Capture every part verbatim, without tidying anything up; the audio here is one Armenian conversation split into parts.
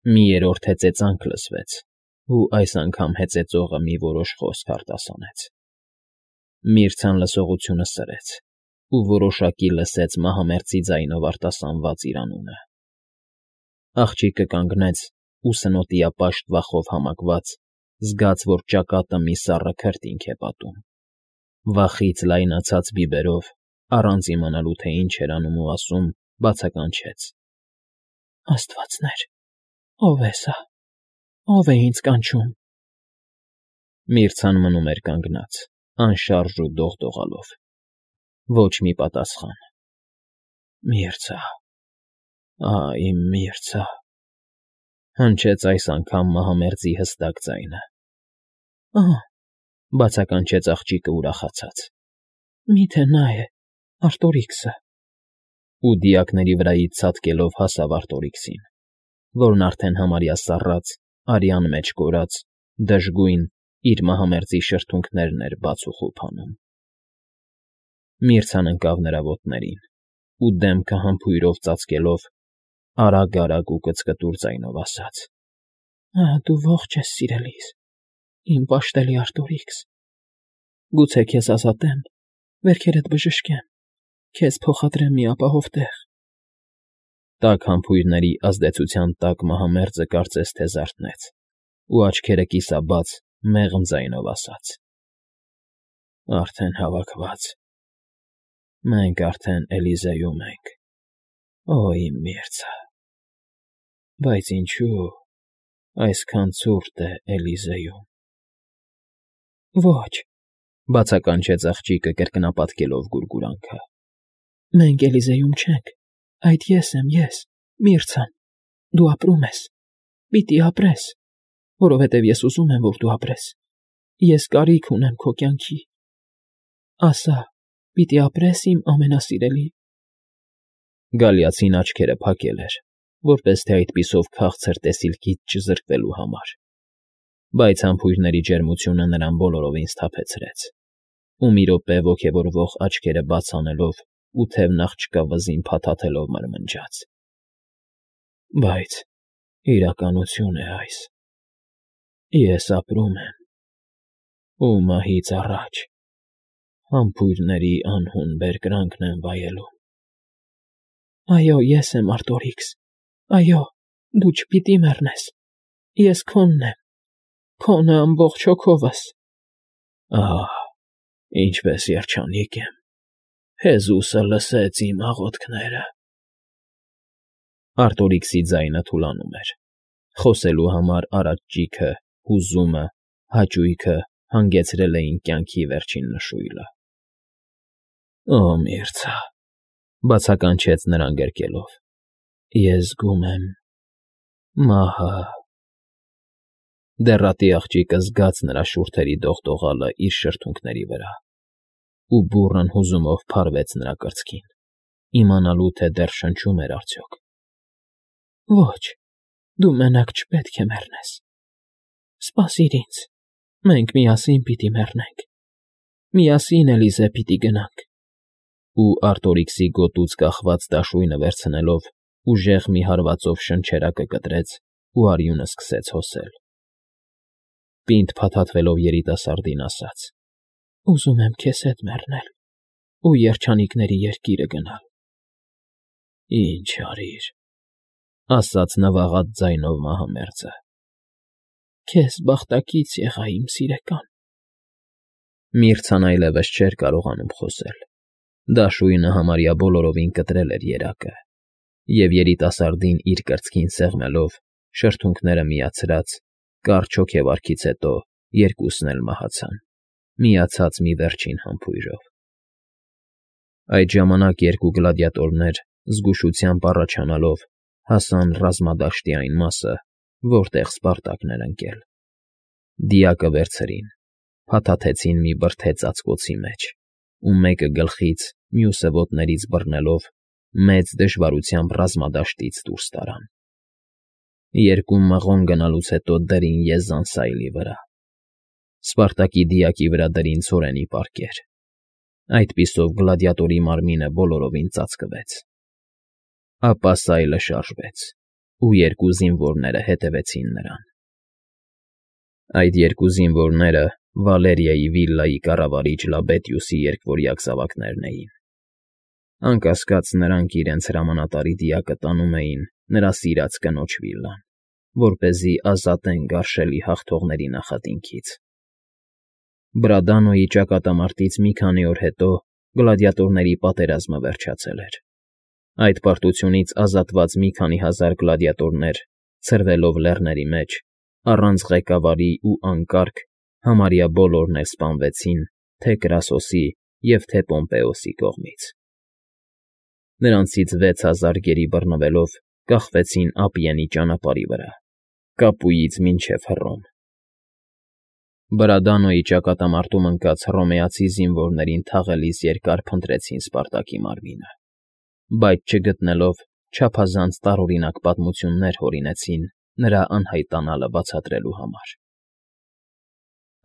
Մի երրորդ հեծեծանք լսվեց, ու այս անգամ հեծեծողը մի որոշ խոսք արտասանեց։ Միրցան լսողությունը սրեց ու որոշակի լսեց մահամերձի ձայնով արտասանված իր անունը։ Աղջիկը կանգնեց ու սնոտիապաշտ վախով համակված, զգաց, որ ճակատը մի սառը քրտինք է պատում։ Վախից լայնացած բիբերով, առանց իմանալու, թե ինչ էր անում ու ասում, բացականչեց. «Աստվածներ, ո՞վ է սա, ո՞վ է ինձ կանչում»։ Միրցան մնում էր կանգնած, անշարժ ու դողդողալով։ Ոչ մի պատասխան։ «Միրցա, ա՜, իմ միրցա», հնչեց այս անգամ մահամերձի հստակ ձայնը։ «Ահա», բացականչեց աղջիկը ուրախացած, «մի՞թե նա է, Արտորիքսը»։ Ու դիակների վրայից ցատկելով հասավ Արտորիքսին, որն արդեն համարյա սառած, արյան մեջ կորած, դժգույն, իր մահամերձի շրթունքներն էր բաց ու խուլ անում։ Միրցան ընկավ նրա ոտներին ու դեմքը համբույրով ծածկելով, արագ֊արագ ու կծկտուր ձայնով ասաց. «Ահա դու ողջ ես, սիրելիս, իմ պաշտելի Արտորիքս, գուցե քեզ ազատեմ, վերքերդ բժշկեմ, քեզ փոխադրեմ մի ապահով տեղ»։ Տաք համբույրների ազդեցության տակ մահամերձը կարծես թե զարթնեց ու աչքերը կիսաբաց, մեղմ ձայնով ասաց. «Արդեն հավաքված, մենք արդեն Էլիզեում ենք, օ, իմ միրցա, բայց ինչո՞ւ այսքան ցուրտ է Էլիզեում»։ «Ոչ», բացականչեց աղջիկը կրկնապատկելով գուրգուրանքը, «մենք Էլիզեում չենք, այդ ես եմ, ես, Միրցան, դու ապրում ես, պիտի ապրես, որովհետև ես ուզում եմ, որ դու ապրես, ես կարիք ունեմ քո կյանքի, ասա, պիտի ապրես, իմ ամենասիրելի»։ Գալիացին աչքերը փակել էր, որպես թե այդպիսով քաղցր տեսիլքից չզրկվելու համար, բայց համբույրների ջերմությունը նրան բոլորովին սթափեցրեց, ու մի րոպե ոգևորվող աչքերը բաց անելով ու թևն աղջկա վզին փաթաթելով մրմնջաց. «Բայց իրականություն է այս. ես ապրում եմ, ու մահից առաջ համբույրների անհուն բերկրանքն եմ վայելում»։ «Այո, ես եմ, Արտորիքս, այո, դու չպիտի մեռնես, ես քոնն եմ, քոնը ամբողջ հոգովս»։ «Ահ, ինչպես երջանիկ եմ, Հեզուսը լսեց իմ աղոթքները»։ Արտորիքսի ձայնը թուլանում էր, խոսելու համար արած ճիգը, հուզումը, հաճույքը հանգեցրել էին կյանքի վերջին նշույլը։ «Օ, Միրցա», բացականչեց նրան գրկելով, «ես զգում եմ մահը»։ Դեռատի աղջիկը զգաց նրա շուրթերի դողդողալը իր շրթունքների վրա, ու բուռն հուզումով փարվեց նրա կրծքին, իմանալու, թե դեռ շնչում էր արդյոք։ «Ոչ, դու մենակ չպետք է մեռնես, սպասիր ինձ, մենք միասին պիտի մեռնենք, միասին Էլիզե պիտի գնանք»։ Ու Արտորիքսի գոտուց կախված դաշույնը վերցնելով, ուժեղ մի հարվածով շնչերակը կտրեց ու արյունը սկսեց հոսել։ Պինդ փաթաթվելով երիտասարդին ասաց. «Ուզում եմ քեզ հետ մեռնել ու երջանիկների երկիրը գնալ»։ «Ինչ արիր», ասաց նվաղած ձայնով մահամերձը։ «Քեզ բախտակից եղա, իմ սիրեկան»։ Միրցան այլևս չէր կարողանում խոսել։ Դաշույնը համարյա բոլորովին կտրել էր երակը, և երիտասարդին իր կրծքին սեղմելով, շրթունքները միացրած, կարճ հոգեվարքից հետո երկուսն էլ մահացան, միացած մի վերջին համբույրով։ Այդ ժամանակ երկու գլադիատորներ, զգուշությամբ առաջանալով, հասան ռազմադաշտի այն մասը, որտեղ Սպարտակն էր ընկել։ Դիակը վերցրին, փաթաթեցին մի բրդե ծածկոցի մեջ, ու մեկը գլխից, մյուսը ոտներից բռնելով, մեծ դժվարությամբ ռազմադաշտից դուրս տարան։ Երկու մղոն գնալուց հետո դրին եզան սայլի վրա։ Սպարտակի դիակի վրա դրին ցորենի պարկեր։ Այդպիսով գլադիատորի մարմինը բոլորովին ծածկվեց։ Ապա սայլը շարժվեց, ու երկու զինվորները հետևեցին նրան։ Այդ երկու զինվորները Վալերիայի վիլլայի կառավարիչ Լաբետիուսի երկվորյակ զավակներն էին։ Անկասկած, նրանք իրենց հրամանատարի դիակը տանում էին նրա սիրած կնոջ վիլլան, որպեսզի ազատեն գարշելի հաղթողների նախատինքից։ Բրադանոյի ճակատամարտից մի քանի օր հետո գլադիատորների պատերազմը վերջացել էր։ Այդ պարտությունից ազատված մի քանի հազար գլադիատորներ, ցրվելով լեռների մեջ, առանց ղեկավարի ու անկարգ, համարյա բոլորն էլ սպանվեցին թե Կրասոսի և թե Պոմպեոսի կողմից։ Նրանցից վեց հազար գերի բռնվելով կախվեցին Ապիենի ճանապարհի վրա, Կապույից մինչև Հռոմ։ Բրադանոյի ճակատամարտում ընկած հռոմեացի զինվորներին թաղելիս երկար փնտրեցին Սպարտակի մարմինը, բայց չգտնելով, չափազանց տարօրինակ պատմություններ հորինեցին նրա անհայտանալը բացատրելու համար։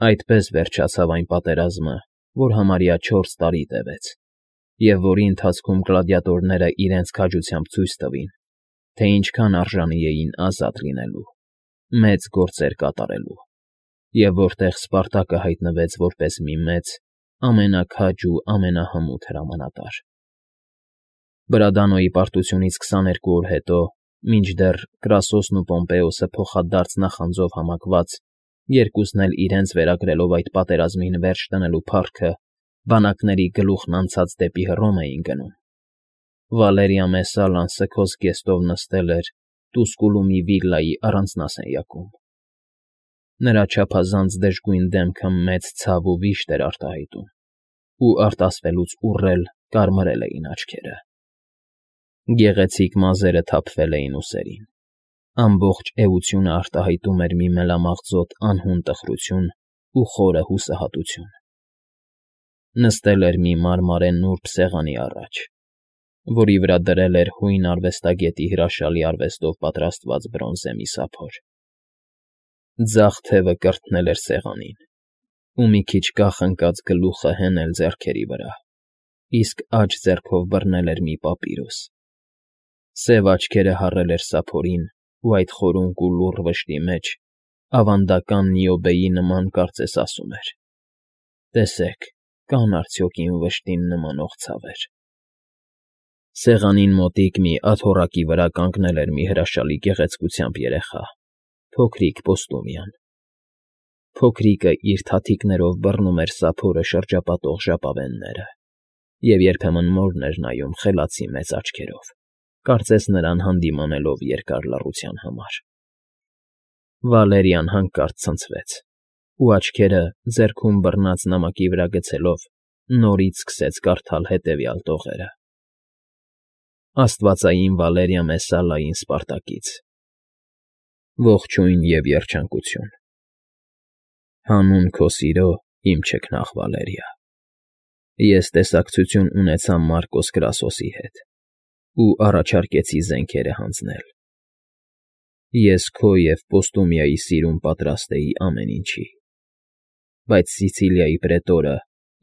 Այդպես վերջացավ այն պատերազմը, որ համարյա չորս տարի տևեց, և որի ընթացքում գլադիատորները իրենց քաջությամբ ցույց տվին, թե ինչքան արժանի էին ազատ լինելու, մեծ գործեր կատարելու, և որտեղ Սպարտակը հայտնվեց որպես մի մեծ, ամենաքաջ ու ամենահմուտ հրամանատար։ Բրադանոյի պարտությունից քսաներկու օր հետո, մինչդեռ Կրասոսն ու Պոմպեոսը փոխադարձ նախանձով համակված, երկուսն էլ իրենց վերագրելով այդ պատերազմին վերջ դնելու փառքը, բանակների գլուխն անցած դեպի Հռոմ էին գնում, Վալերիա Մեսալան սգոց զգեստով նստել էր Տուսկուլումի վիլլայի առանձնասենյակում։ Նրա չափազանց դժգույն դեմքը մեծ ցավ ու վիշտ էր արտահայտում, ու արտասվելուց ուռել, կարմրել էին աչքերը։ Գեղեցիկ մազերը թափվել էին ուսերին, ամբողջ էությունը արտահայտում էր մի մելամաղձոտ անհուն տխրություն ու խորը հուսահատություն։ Նստել էր մի մարմարե նուրբ սեղանի առաջ, որի վրա դրել էր հույն արվեստագետի հրաշալի արվեստով պատրաստված բրոնզե մի սափոր։ Ձախ թևը կրթնել էր սեղանին, ու մի քիչ կախ ընկած գլուխը հենել ձեռքերի վրա, իսկ աջ ձեռքով բռնել էր մի պապիրոս։ Սև աչքերը հառել էր սափորին ու այդ խորունկ ու լուռ վշտի մեջ ավանդական Նիոբեի նման կարծես ասում էր. «Տեսեք, կան արդյոք իմ վշտին նմանող ցավեր»։ Սեղանին մոտիկ մի աթոռակի վրա կանգնել էր մի հրաշալի գեղեցկությամբ երեխա, փոքրիկ Պոստումիան։ Փոքրիկը իր թաթիկներով բռնում էր սափորը շրջապատող ժապավենները և երբեմն մորն էր նայում խելացի մեծ աչքերով, կարծես նրան հանդիմանելով երկար լռության համար։ Վալերիան հանկարծ ցնցվեց, ու աչքերը ձեռքում բռնած նամակի վրա գցելով նորից սկսեց կարդալ հետևյալ տողերը. Աստվածային Վալերիա Մեսալային Սպարտակից։ Ողջույն և երջանկություն։ Հանուն քո սիրո, իմ չքնաղ Վալերիա, ես տեսակցություն ունեցա Մարկոս Կրասոսի հետ ու առաջարկեցի զենքերը հանձնել։ Ես քո և Պոստումիայի սիրուն պատրաստ էի ամեն ինչի, բայց Սիցիլիայի պրետորը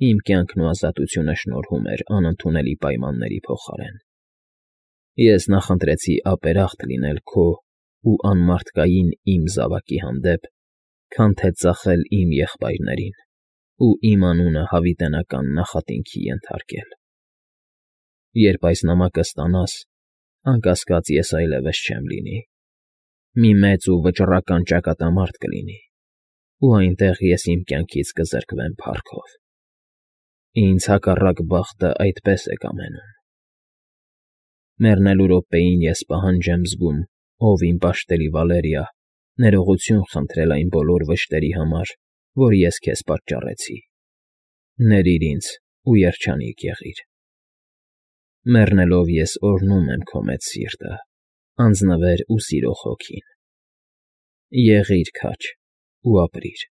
իմ կյանքն ու ազատությունը շնորհում էր անընդունելի պայմանների փոխարեն։ Ես նախընտրեցի ապերախտ լինել քո ու անմարդկային իմ զավակի հանդեպ, քան թե ծախել իմ եղբայրներին ու իմ անունը հավիտենական նախատինքի ենթարկել։ Երբ այս նամակը ստանաս, անկասկած ես այլևս չեմ լինի, մի մեծ ու վճռական ճակատամարտ կլինի, ու այնտեղ ես իմ կյանքից կզրկվեմ փառքով։ Ինձ հակառակ բախտը այդպես է կամենում։ Մեռնելու րոպեին ես պահանջ եմ զգում, ով իմ պաշտելի Վալերիա, ներողություն խնդրել այն բոլոր վշտերի համար, որ ես քեզ պատճառեցի։ Ներիր ինձ ու երջանիկ եղիր։ Մեռնելով ես օրհնում եմ քո մեծ սիրտը, անձնվեր ու սիրող հոգին։ Եղիր քաջ ու ապրիր։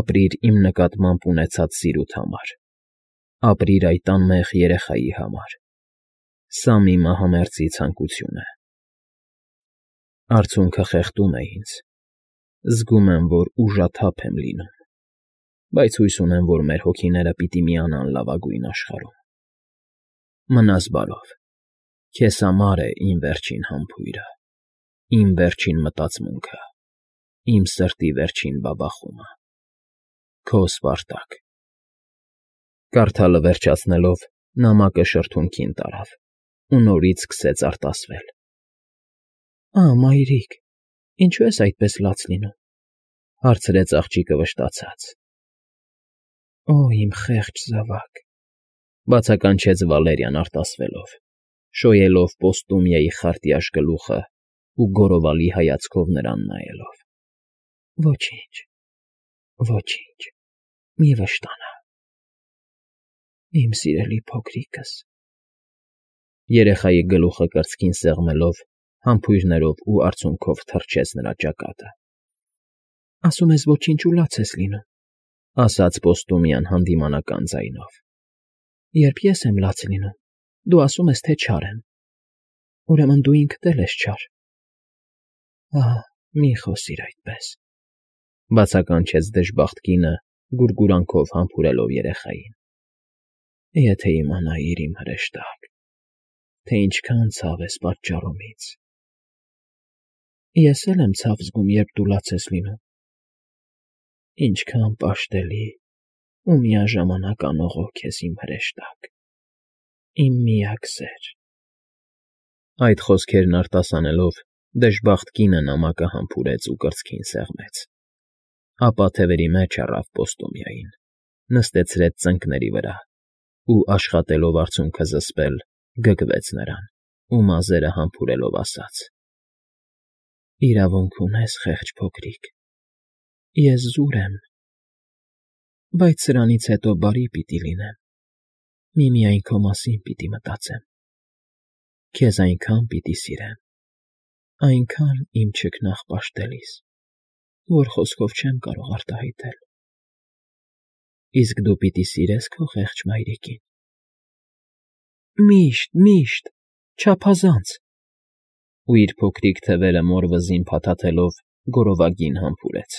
Ապրիր իմ նկատմամբ ունեցած սիրուդ համար։ Ապրիր այդ անմեղ երեխայի համար։ Սա մի մահամերձի ցանկություն է։ Արցունքը խեղդում է ինձ։ Զգում եմ, որ ուժաթափ եմ լինում, բայց հույս ունեմ, որ մեր հոգիները պիտի միանան լավագույն աշխարհում։ Մնաս բարով։ Քեզ համար է իմ վերջին համբույրը։ Իմ վերջին մտածմունքը, իմ սրտի վերջին բաբախումը, քո Սպարտակ։ Կարդալը վերջացնելով՝ նամակը շրթունքին տարավ ու նորից սկսեց արտասվել։ Ա՜, մայրիկ, ինչո՞ւ ես այդպես լաց լինում,֊ հարցրեց աղջիկը վշտացած։ Օ՜, իմ խեղճ զավակ,֊ բացականչեց Վալերիան արտասվելով, շոյելով Պոստումիայի խարտյաշ գլուխը ու գոռովալի հայացքով նրան նայելով։ Ոչինչ, ոչինչ, մի վշտանա, իմ սիրելի փոքրիկս… Երեխայի գլուխը կրծքին սեղմելով, համբույրներով ու արցունքով թռչեց նրա ճակատը։ Ասում ես ոչինչ ու լաց ես լինում,֊ ասաց Պոստումիան հանդիմանական ձայնով։ Երբ ես եմ լաց լինում, դու ասում ես, թե չար եմ, ուրեմն դու ինքդ էլ ես չար։ Ահ, մի խոսիր այդպես,֊ բացականչեց դժբախտ կինը, գուրգուրանքով համբուրելով երեխային։ Եթե իմանայիր, իմ հրեշտակ, թե ինչքան ցավ ես պատճառում ինձ… Ես էլ եմ ցավ զգում, երբ դու լաց ես լինում… Ինչքան պաշտելի ու միաժամանակ անողոք ես, իմ հրեշտակ, իմ միակ սեր… Այդ խոսքերն արտասանելով՝ դժբախտ կինը նամակը համբուրեց ու կրծքին սեղմեց, ապա թևերի մեջ առավ Պոստումիային, նստեցրեց ծնկների վրա ու, աշխատելով արցունքը զսպել, գգվեց նրան ու մազերը համբուրելով ասաց. Իրավունք ունես, խեղճ փոքրիկ, ես զուր եմ, բայց սրանից հետո բարի պիտի լինեմ, միմիայն քո մասին պիտի մտածեմ, քեզ այնքան պիտի սիրեմ, այնքան իմ չքնաղ պաշտելիս, որ խոսքով չեմ կարող արտահայտել… Իսկ դու պիտի սիրե՞ս քո խեղճ մայրիկին… Միշտ, միշտ, չափազանց… Ու իր փոքրիկ թևերը մոր վզին փաթաթելով գորովագին համբուրեց,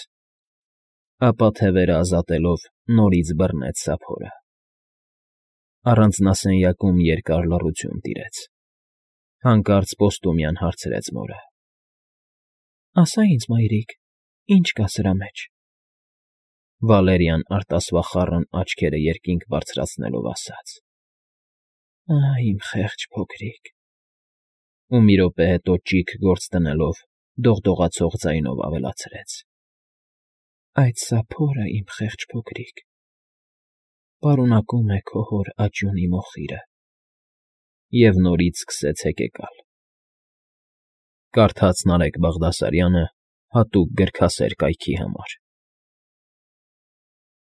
ապա թևերը ազատելով նորից բռնեց սափորը… Առանձնասենյակում երկար լռություն տիրեց, հանկարծ Պոստումիան հարցրեց մորը. Ասա ինձ, մայրիկ, ինչ կա սրա մեջ… Վալերիան արտասվախառն աչքերը երկինք բարձրացնելով ասաց. Ահ, իմ խեղճ փոքրիկ… Ու մի րոպե հետո ճիգ գործ դնելով դողդողացող ձայնով ավելացրեց. Այդ սափորը, իմ խեղճ փոքրիկ, պարունակում է քո հոր աճյունի մոխիրը… Եվ նորից սկսեց հեկեկալ… Կարդաց Նարեկ Բաղդասարյանը հատուկ գրքասեր կայքի համար։